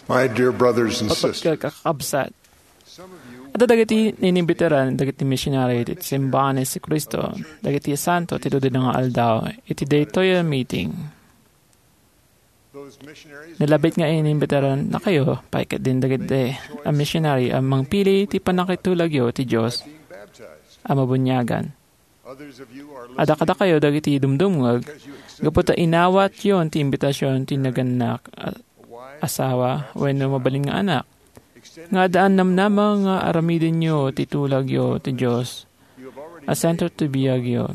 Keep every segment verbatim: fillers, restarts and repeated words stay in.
My dear brothers and sisters, Kapagkakabsat, adda dagiti ninimbitaran dagiti misionary ti Simbahan ni Jesu-Cristo dagiti Santo ti Dudina nga Aldaw iti daytoy a meeting. Nalabit nga inimbitaran nakayo pay ket din dagiti a misionary a mangpili ti pannakitulagyo ti Dios a mabuniagan. Adda kadakayo dagiti dumdumngeg gapu ta inawatyon ti imbitasion ti nagannak a asawa wenno mabalin nga anak, nga addaan namnama nga aramidenyo ti tulagyo ti Dios a sentro ti biagyo.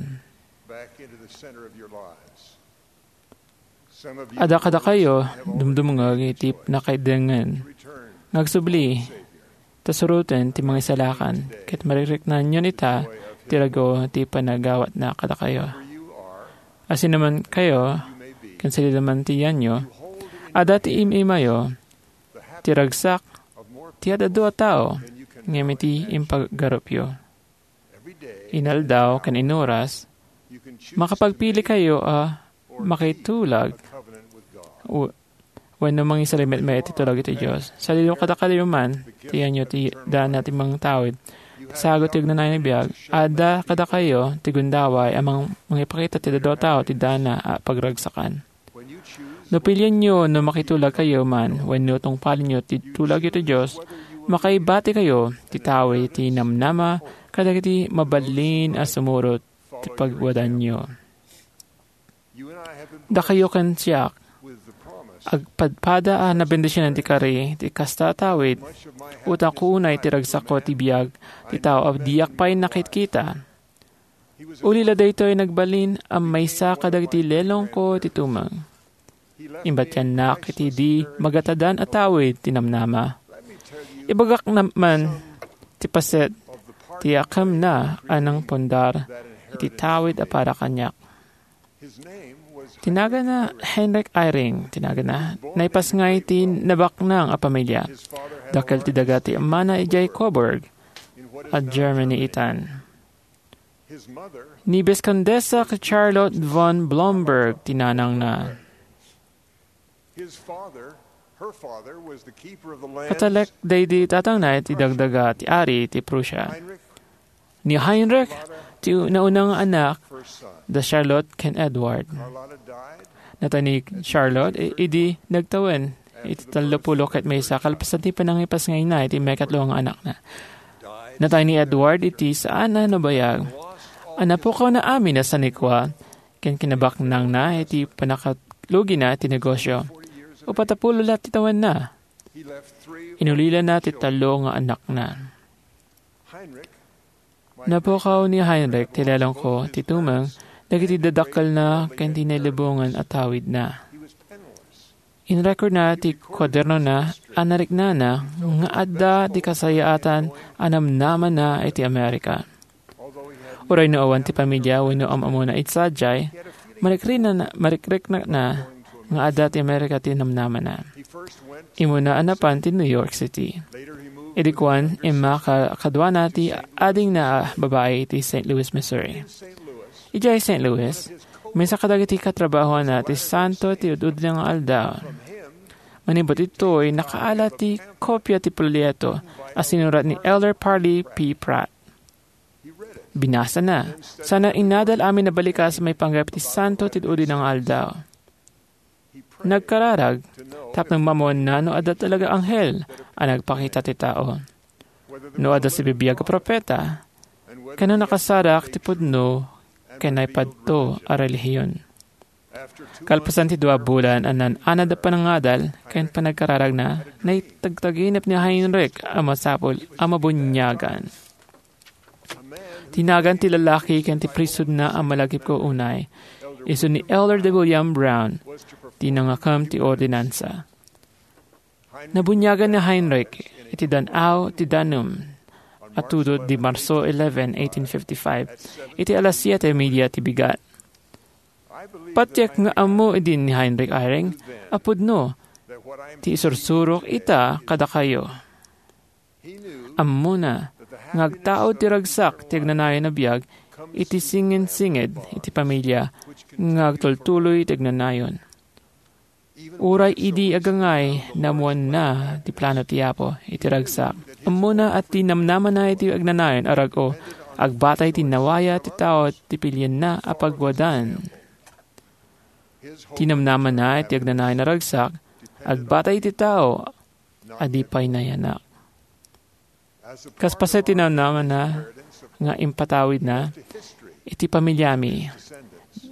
Adda kadakayo dumdumngeg iti nakaidengen nga agsubli ta suroten ti Mangisalakan, ket marikriknaanyon ita ti rago ti panagawatna kadakayo. Asinoman kayo, ken sadinoman ti yanyo, adda ti im-imayo ti ragsak ti ad-adu a tao ngem iti impagarupyo. Inaldaw ken inuras, makapagpili kayo a makitulag w- wenno mangisalimetmet iti tulagyo ti Dios. Sadino kadakayo man ti yanyo ti dana ti mangtawid, sagut ti agnanayon a biag, adda kadakayo ti gundaway a mang-, mangipakita ti dadduma a tao ti dana a pagragsakan. No pilienyo no makitulagkayo man wenno tungpalenyo ti tulagyo ti Dios, makaibatikayo ti tawid ti namnama kadagiti mabalin a sumurot ti pagwadanyo. Dakayo ken siak, agpadpada a nabendisionan ti kari ti kasta a tawid, utangko unay ti ragsakko ti biag ti tao a diak pay nakitkita. Ulila daytoy nagbalin a maysa kadagiti lelongko ti tumeng. Imbatiannak iti di magatadan a tawid ti namnama. Ibagak na-, man ti paset ti akemna a nangpundar iti tawid a para kaniak. Ti nagana Heinrich Eyring, ti nagana. Naipasngay ti nabaknang a pamilia. Dakkel ti daga ti amana idiay Coburg, a Germany itan. Ni Biskondesa Charlotte von Blomberg ti nanangna. Katalek daydi tatangna iti dagdaga ti ari ti Prussia. Ni Heinrich ti nauna nga anak da Charlotte ken Edward. Natay ni Charlotte i-, idi nagtawen iti tallopulo ket maysa kalpasan ti panangipasngayna iti maikatlo nga anakna. Natay ni Edward iti saan a nabayag. A napukawna amin a sanikua ken kinabaknangna iti pannakatlugina ti negosio. Uppat a pulo la ti tawenna. Inulilana ti tallo nga anakna. Napukaw ni Heinrich ti lelongko ti tumeng dagiti dadakkelna ken ti nailubongan a tawidna. Inrekordna ti kuadernona a nariknana nga adda ti kasayaatan a namnamana iti Amerika. Uray no awan ti pamilia wenno am-ammona iti sadiay, marikrina-, marikriknana nga adda ti Amerika ti namnamana. Immuna a napan ti New York City. Idi kuan, imma ka-, kaduana ti adingna a babai iti Saint Louis, Missouri. Idiay Saint Louis, maysa kadagiti katrabahoanna ti Santo ti Ududna nga Aldaw. Manipud ditoy, nakaala ti kopia ti folleto a sinurat ni Elder Parley P. Pratt. Binasana, sana inadal amin a balikas maipanggep ti Santo ti Udina nga Aldaw. Nagkararag tapno maammoanna no adda talaga anghel a nagpakita ti tao, no adda sibibiag a profeta, ken no nakasarak ti pudno ken naipadto a relihiyon. Kalpasan ti dua bulan a naan-anad a panangadal ken panagkararagna, naitagtaginep ni Heinrich a masapul a mabuniagan. Ti nagan ti lalaki ken ti priesthoodna a malagipko unay, isu ni Elder de William Brown, ti nangakem ti ordinansa. Nabuniagan ni Heinrich iti dan-aw ti danum a tudot di Marso eleven, eighteen fifty-five, iti alas siete media ti bigat. Patiek nga ammo idi ni Heinrich Eyring a pudno ti isursurok ita kadakayo. Ammona nga agtaud ti ragsak ti agnanayon a biag iti singensinged iti pamilia nga agtultuloy ti agnanayon. Uray idi agangay, naammoanna ti plano ti Apo iti ragsak. Ammona a ti namnamana iti agnanayon a rag-o, agbatay ti nawaya ti tao ti pilienna a pagwadan. Ti namnamana iti agnanayon a ragsak, agbatay iti tao a di pay nayanak. Kas paset ti namnamana nga impatawidna iti pamiliami,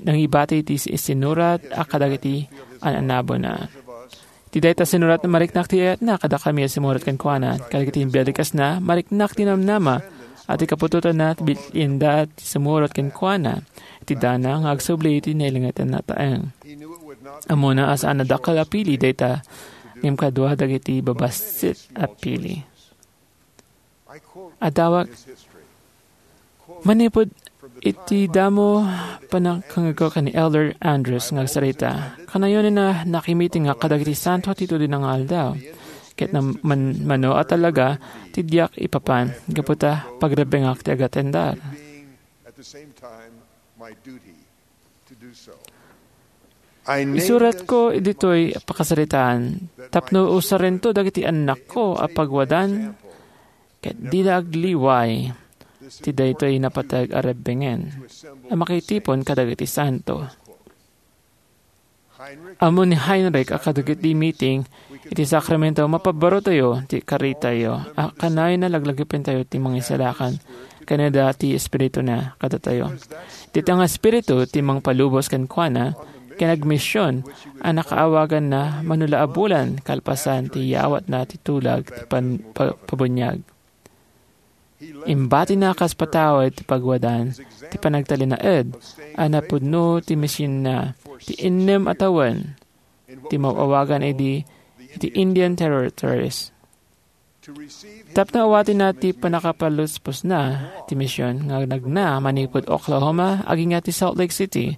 nangibati iti sinurat a kadagiti an-annabona. Iti dayta sinurat, mariknak ti ayatna kadakami a sumurat kenkuana. Kadagiti bialikasna, mariknak ti namnama a ti kaputotanna, bilinda ti sumurat kenkuana. Iti dana nga agsubli iti nailangitan a taeng. Ammona a saan a dakkel a pili dayta, ngem kadua dagiti babassit a pili. Adawak, manipud iti damo pannakangegko ken ni Elder Andrus nga agsarita, kanayon a nakimiting nga kadagiti santo ti tudina nga aldaw, ket nam-, man-, mano a talaga ti diak ipapan, gapu ta pagrebbengak ti agatendar. Isuratko ditoy a pakasaritaan tapno usarento dagiti annakko a pagwadan ket dida agliway ti daytoy napateg a rebbengen a makitipon kadagiti santo. Ammo ni Heinrich a kadagiti meeting iti sakramento, mapabarotayo ti karitayo a kanayon a laglagipentayo ti Mangisalakan ken adda ti Espirituna kadatayo. Dita nga Espiritu ti mangpalubos kenkuana ken agmision a nakaawaganna mano la a bulan kalpasan ti yawatna ti tulag ti pan-, pa-, pabuniag. Imbatina kas patawid ti pagwadan ti panagtalinaed a napudno ti misionna ti innem a tawen ti maw-awagan idi iti Indian Territories. Tapno awatenna ti pannakapaluspusna ti mision nga nagna manipud Oklahoma agingga ti Salt Lake City,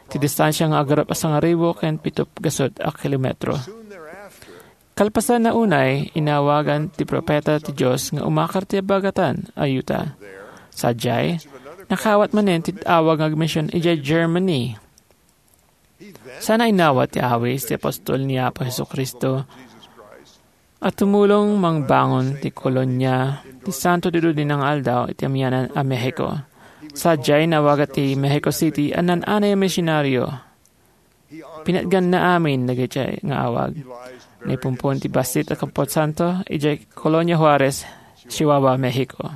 ti distansia nga agarup a sangaribu ken pito gasut a kilometro. Kalpasanna unay, inawagan ti propeta ti Dios nga umakar ti abagatan a Utah. Sadiay, nakaawat manen ti awag nga agmision idiay Germany. Saan a inawat ti awis ti apostol ni Apo Jesu-Cristo a tumulong mangbangon ti kolonia ti Santo ti Dudinang Aldaw iti amianan a Mexico. Sadiay, naawagan ti Mexico City a naan-anay a misionario. Pinatganna amin dagiti nga awag. Naipumpon ti bassit a Kamposanto idiay Colonia Juarez, Chihuahua, Mexico.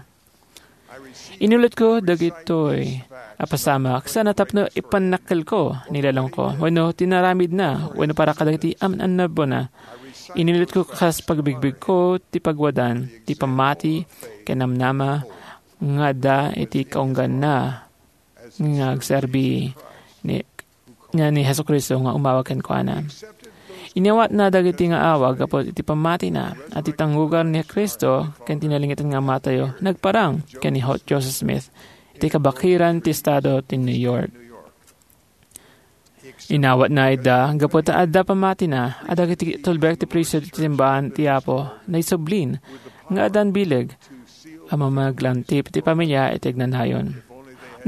Inulotko dagitoy a pasamak, saan a tapno ipannakkelko ni lelongko wenno ti naramidna wenno para kadagiti an-annabona. Inulotko kas pagbigbigko ti pagwadan ti pammati ken namnama nga adda iti kaungganna nga agserbi ni, nga ni Jesu-Cristo nga umawag kenkuana. Inawatna dagiti nga awag gapu iti pammatina a ti tangrugar ni Cristo ken ti nalingitan nga Amatayo nagparang ken ni Ho-, Joseph Smith iti kabakiran ti estado ti New York. Inawatna ida gapu ta adda pammatina a dagiti tulbek ti priesthood ti simbahan ti Apo naisublin nga addan bileg a mamaglantip ti pamilia iti agnanayon.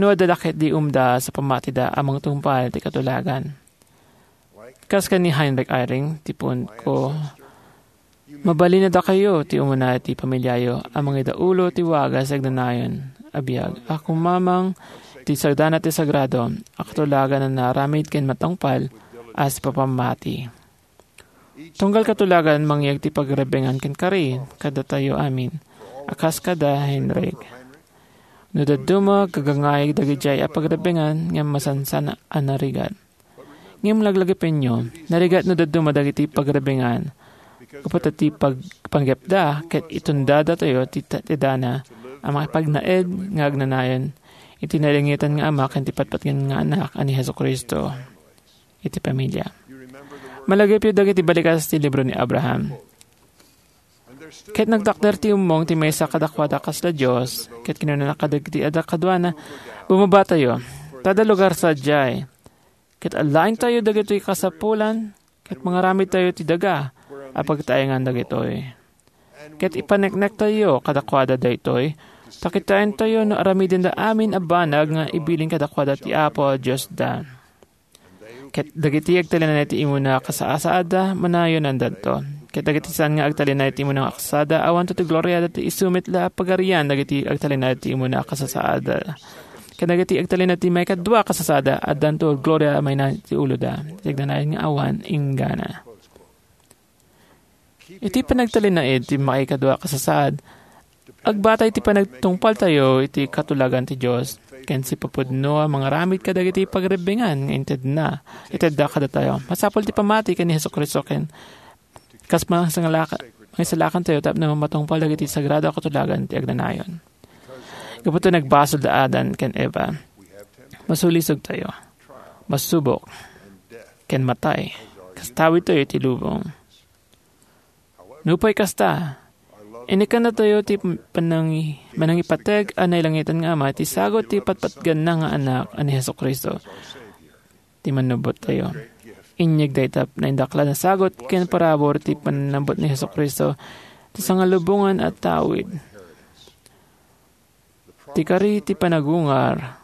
No adda la ketdi umda sa pammatida a mangtungpal ti katulagan. Kas ken ni Heinrich Eyring, ti punko, mabalin a dakayo ti umuna iti pamiliayo a mangidaulo ti wagas agnanayon a biag a kumamang ti sagdana ti sagrado a katulagan a naaramid ken matungpal a sipapammati. Tunggal katulagan, mangyeg ti pagrebbengan ken kari kadatayo amin a kas kada Heinrich. No dadduma, gagangay dagidiay a pagrebbengan ngem masansan a narigat. Ngem laglagipenyo, narigat no dadduma dagiti pagrebbengan gapu ta ti pag-, panggepda ket itundadatayo ti ta-, ti dana a makipagnaed nga agnanayon iti nalingitan nga Ama ken ti patpatgen nga Anak a ni Jesu-Cristo iti pamilia. Malagipyo dagiti balikas ti libro ni Abraham. Ket nagtakder ti ummong ti maysa kadakuada kasla Dios, ket kinunana kadagiti adda kaduana, "Bumabatayo, ta adda lugar sadiay, ket alaentayo dagitoy kasapulan, ket mangaramidtayo ti daga a pagtaengan dagitoy. Ket ipaneknektayo kadakuada daytoy, ta kitaentayo no aramidenda amin a banag nga ibilin kadakuada ti Apo a Diosda." Ket dagiti agtalinaed iti immuna a kasasaadda, manayonandanto. Ket dagiti saan nga agtalinaed iti immuna a kasasaadda, awanto ti gloriada ti isu met la a pagarian dagiti agtalinaed iti immuna a kasasaadda. Ket dagiti agtalinaed iti maikadua a kasasaadda, addanto gloria a mainayon iti uloda. Iti agnanayon nga awan inggana. Iti panagtalinaed ti maikadua a kasasaad, agbata iti panagtungpaltayo iti katulagan ti Dios, ken sipapudno a mangaramid kadagiti pagrebbingan nga intedna, itedda kadatayo. Masapul ti pammati ken ni Jesu-Cristo ken kas mangisalaka-, mangisalakantayo tapno matungpal dagiti sagrado a katulagan ti agnanayon. Gapu ta nagbasol da Adan ken Eva, masulisogtayo, masubok, ken matay, kas tawidtayo iti lubong. Nupay kasta, inikannatayo ti panangi-, manangipateg a nailangitan nga Ama ti sagut ti patpatganna nga Anak a ni Jesu-Cristo, ti Mannubbottayo. Inyeg dayta naindaklan a sagut ken parabur ti panannabbot ni Jesu-Cristo, ti sangalubongan a tawid, ti kari ti panagungar,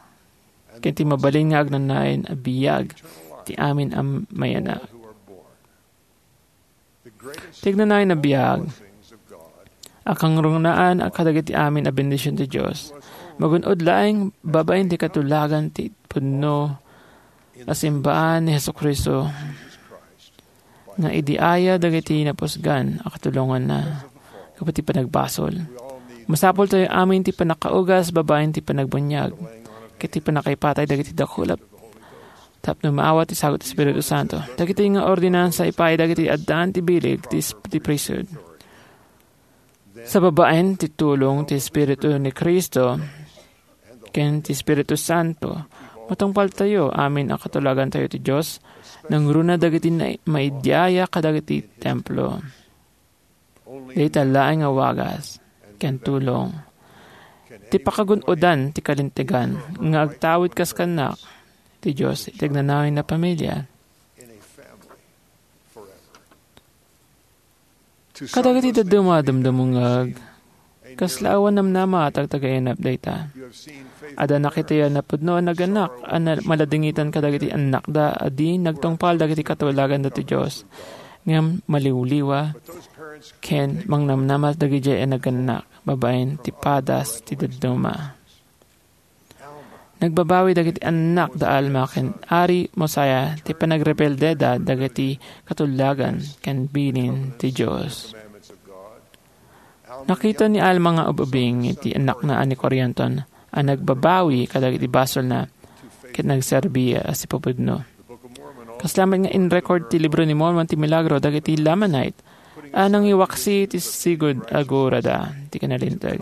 ken ti mabalin nga agnanayon a biag ti amin a mayanak. Ti agnanayon a biag a kangrunaan a kadagiti amin a bendision ti Dios, magun-od laeng babaen ti katulagan ti pudno a simbaan ni Jesu-Cristo nga idi aya dagiti napusgan a katulonganna gapu ti panagbasol. Masapultayo amin ti pannakaugas babaen ti panagbuniag ket ti pannakaipatay dagiti dakula tapno maawat ti sagut ti Espiritu Santo. Dagiti nga ordinansa ipaay dagiti addaan ti bileg ti, ti priesthood. Sa babaen ti tulong ti Espiritu ni Cristo ken ti Espiritu Santo, matungpaltayo amin a katulagantayo ti Dios, nangruna dagiti na-, maidiaya kadagiti templo. Dayta laeng a wagas ken tulong ti pakagun-odan ti kalintegan nga agtawid kas kannak ti Dios iti agnanayon a pamilia. Kadagiti dadduma a dumdumngeg, kasla awan namnama a tagtagainep dayta. Adda nakitayo a napudno a nagannak a na-, maladingitan kadagiti annakda a di nagtungpal dagiti katulaganda ti Dios, ngem maliwliwa ken mangnamnama dagidiay a nagannak babaen ti padas ti dadduma. Nagbabawi dagiti annak da Alma ken Ari Mosiah ti panagrebeldeda dagiti katulagan ken bilin ti Dios. Nakita ni Alma nga ub-ubing iti annakna a ni Corianton a nagbabawi kadagiti basolna ket nagserbi a sipapudno. Kasla met nga in-record ti Libro ni Mormon ti milagro dagiti Lamanite a nangiwaksi ti sigud a gurada ti kinalinteg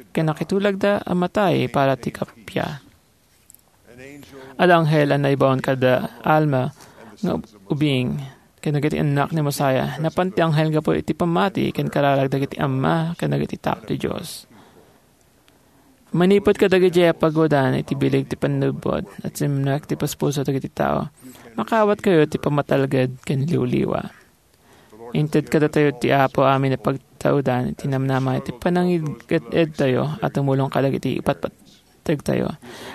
ken nakitulagda a matay para ti kappia. Adda anghel a naibaon kada Alma nga ubing ken dagiti annak ni Mosiah. Napan ti anghel gapu iti pammati ken kararag dagiti amma ken dagiti tao ti Dios. Manipud kadagiti a pagwadan iti bileg ti pannubbot, at simnak ti puspuso dagiti tao. Makaawatkayo ti pammatalged ken liwliwa. Inted kadatayo ti Apo amin a pagtaudan iti namnama iti panangiged-edtayo a tumulong kadagiti ipatpategtayo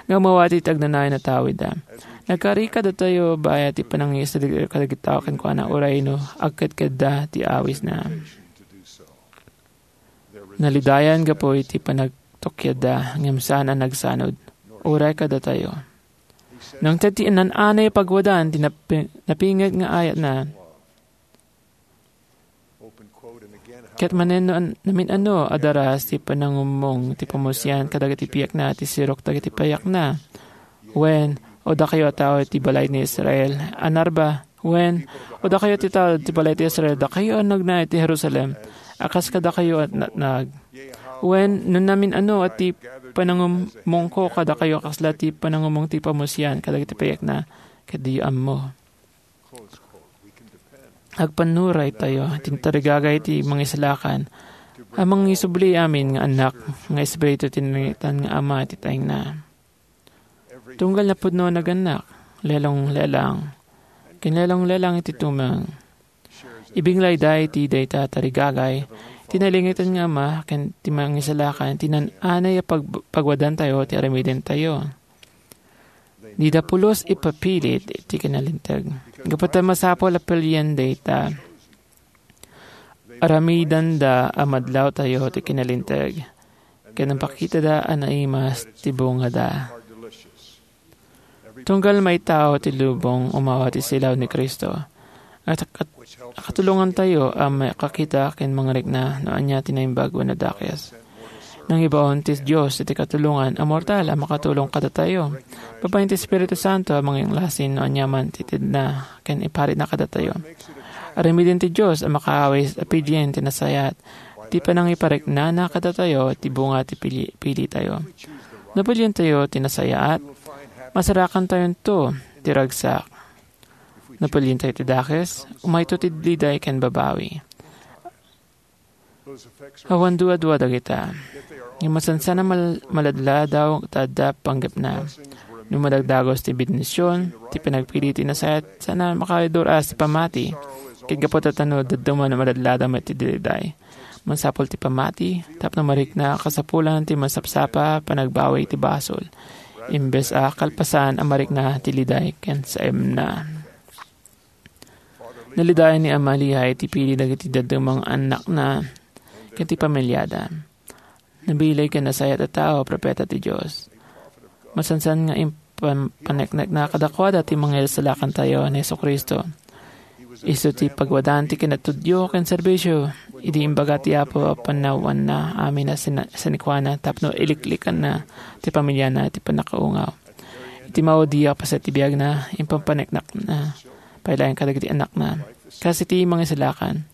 nga umawat iti agnanayon a tawidda. Nagkari kadatayo bayat ti panangisalig kadagiti tao kenkuana uray no agkedkedda ti awisna. Nalidayan gapu iti panagtukyadda ngem saan a nagsanud uray kadatayo. Nangted ti nan-anay a pagwadan ti napi-, napinget nga ayatna. Ket manen no an-, namin-ano a daras ti panangummong ti pamusian kadagiti piakna ti sirok dagiti payakna. Wen, o dakayo a tao ti balay ni Israel, a narba, wen, o dakayo ti tao ti balay ti Israel, dakayo a nagna iti Jerusalem, a kas kadakayo a natnag. Wen, no namin-ano a ti panangummongko kadakayo, kasla ti panangummong ti pamusian kadagiti payakna, ket diyo ammo. Agpannuraytayo ti tarigagay ti Mangisalakan a mangisubli amin nga annak nga espiritu ti nalangitan nga Ama ti taengna. Tunggal napudno a nagannak, lelong-lelang, ken lelong-lelang iti tumeng. Ibinglayda iti dayta a tarigagay ti nalangitan nga Ama ken ti Mangisalakan ti nan-anay a pag-, pagwadantayo ti aramidentayo. Dida pulos ipapilit iti kinalinteg. Gapu ta masapul a pilien dayta. Aramidenda a madlawtayo ti kinalinteg, ken impakitada a naimas ti bungada. Tunggal maitao ti lubong umawa ti silaw ni Cristo, at kat-, katulongantayo a makakita ken mangrikna no ania ti naimbag wenno dakes. Nangibaon ti Dios iti katulongan a mortal a makatulong kadatayo. Babaen ti Espiritu Santo a manginglasi no ania man ti itedna ken iparitna kadatayo. Aramiden ti Dios a makaawis a pilien ti nasayaat ti panangipariknana kadatayo ti bunga ti pili-, pilitayo. No pilientayo ti nasayaat, masarakantayonto ti ragsak. No pilientayo ti dakes, umayto ti liday ken babawi. Awan duadua dagita. Ngem masansan a mal-, maladladaw ta adda panggepna. No madagdagos ti bendision, ti panagpili ti nasayaat, saan a makaidur-as ti pammati. Ket gapu ta no dadduma no maladladaw met ti liday. Masapul ti pammati, tapno marikna a kasapulan ti masapsapa panagbawi ti basol. Imbes a kalpasan a marikna ti liday ken saemna. Nalidayan ni Ama Lehi ti pili dagiti dadduma nga annakna ken ti pamiliada. Nabileg ken nasayaat a tao a propeta ti Dios. Masansan nga impan-, paneknekna kadakuada ti Mangisalakantayo ni Jesu-Cristo. Isu ti pagwadaan ti kinatudyo ken serbisio idi imbaga ti Apo a panawanna amin a sina-, sanikuana tapno iliklikanna ti pamiliana iti pannakaungaw. Iti maudi a paset ti biagna, impanpaneknekna pay laeng kadagiti annakna. Kas iti mangisalakan,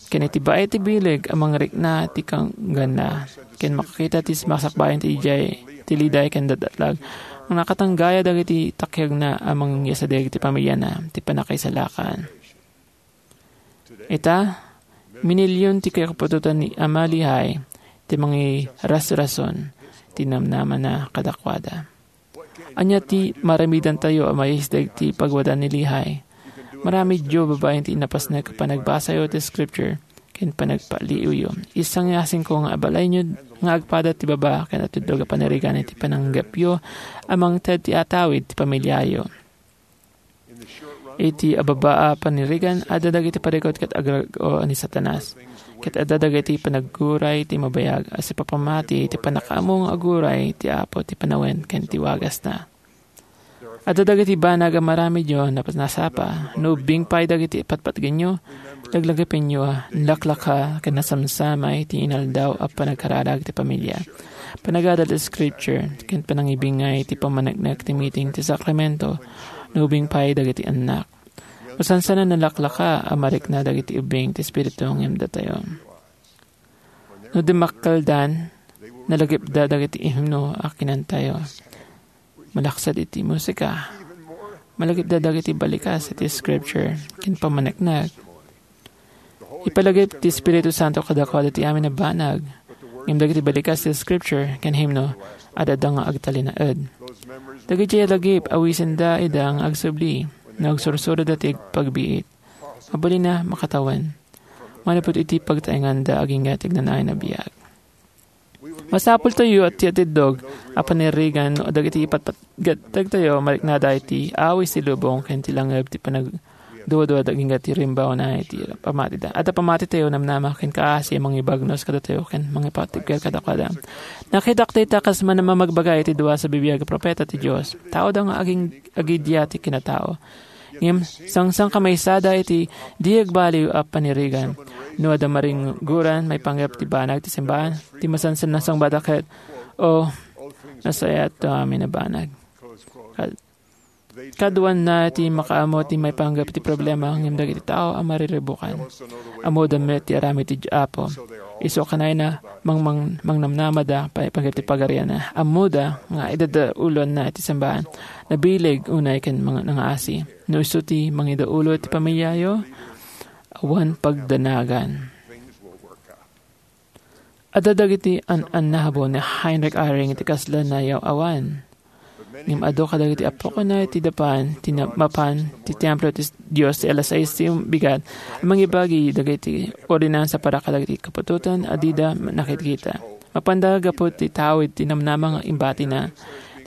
ken iti baet ti bileg a mangrikna ti kangganna, ken makakita ti sumasakbayan ti idiay, ti liday ken dadatlag, nga nakatanggaya dagiti takiagna a mangyasadi iti pamiliana, ti pannakaisalakan. Ita, minilion ti kaputotan ni Ama Lehi ti mangirasrason ti namnamana kadakuada. Ania ti maramidantayo a maiisdeg ti pagwada ni Lehi? Maramidyo babaen ti napasnek a panagbasayo ti Scripture ken panagpaliiwyo. Isangasinko nga abalayonyo nga agpada ti baba ken atudlog a panirigan iti pananggepyo a mangted ti atawid ti pamiliayo. Iti ababa a panirigan, adda dagiti parikut ket agrag-o ni Satanas. Ket adda dagiti panagguray ti mabayag a sipapamati iti pannakaammo nga aguray ti Apo ti panawen ken ti wagasna. Adda dagiti banag a maramidyo a nasapa, no ubbing pay dagiti patpatgenyo, laglagapenyo a nalaklaka ken nasamsamay ti inaldaw a panagkararag ti pamilia. Panagadal ti Scripture, ken panangibingay ti pammaneknek ti meeting ti sakramento, no ubing pay dagiti annak. Masansan a nalaklaka a marikna dagiti ubing ti Espiritu ngem datayo. No dimmakkeldan, nalagipda dagiti himno a kinantayo. Malaksid iti musika. Malagipda dagiti balikas iti Scripture ken pammaneknek. Ipalagip ti Espiritu Santo kadakuada ti amin a banag. Ngem dagiti balikas ti Scripture ken himno, adda nga agtalinaed. Dagiti lagip, awisenda ida nga agsubli no agsursurada ti pagbiit. Mabalin a makatawen. Manipud iti pagtaenganda agingga ti agnanayon a biag. Masapultayo a ti atiddog a panirigan no dagiti ipatpatgatayo mariknada iti awis ti lubong ken ti langeb ti panagduadua agingga ti rimbawna iti pamatida. Adda pamatitayo namnama ken kaasi a mangibagnos kadatayo ken mangipatibker kadakuada. Nakitak dayta kas manamamagbaga iti dua a bibiag a propeta ti Dios. Taoda nga aging-, agidia ti kinatao. Ngem sangsangkamaysada iti di agbaliw a panirigan. No adda maringguran maipanggep ti banag ti simbahan, ti masansan a sungbada ket, "O, nasayaat ti amin a banag." Kad-, kaduanna ti makaammo ti maipanggep ti problema ngem dagiti tao a mariribukan. Ammoda met ti aramid ti Apo. Isu a kanayna, mangmang-, mangnamnamada pay-, pay-, ti pagarianna. Ammoda nga idadaulonna ti simbahan. Nabileg unay ken mang-, nangaasi. No isu ti mangidaulo ti pamiliayo, awan pagdanagan. Adda dagiti an-annabo ni Heinrich Eyring iti kasla nayaw-awan. Ngem adu kadagiti apokona iti dapan ti na-, mapan ti templo ti Dios ti alas sais ti bigat a mangibagi dagiti ordinansa para kadagiti kaputotan a dida nakikita. Mapanda gapu ti tawid ti namnama nga imbatina.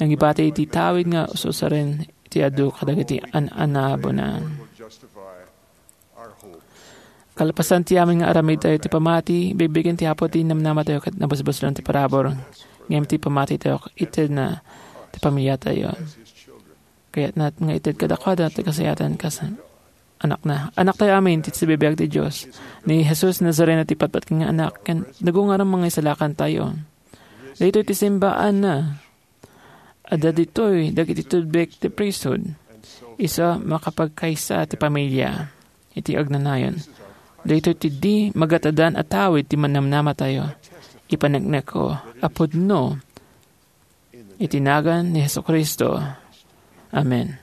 nangibati iti tawid nga ususaren ti adu kadagiti an-anabunan. Kalpasan ti amin nga aramidtayo ti pamati, bibigin ti Apo ti namnamatayo ket nabusbuslon ti parabur. Ngem ti pamatitayo, itedna ti pamiliatayo. Kayatna nga ited kadakuada ti kasayatan kas anakna. Anaktayo amin ti sibibiag ti Dios. Ni Jesus Nazareno ti patpatgen nga anak, ken nagungarang mangisalakantayo. Daytoy ti simbaanna. Adda ditoy dagiti tudbek ti priesthood. Isu a makapagkaysa ti pamilia iti agnanayon. Daytoy ti di magatadan a tawid ti mannamnamatayo. Ipaneknekko a pudno iti nagan ni Jesu-Cristo. Amen.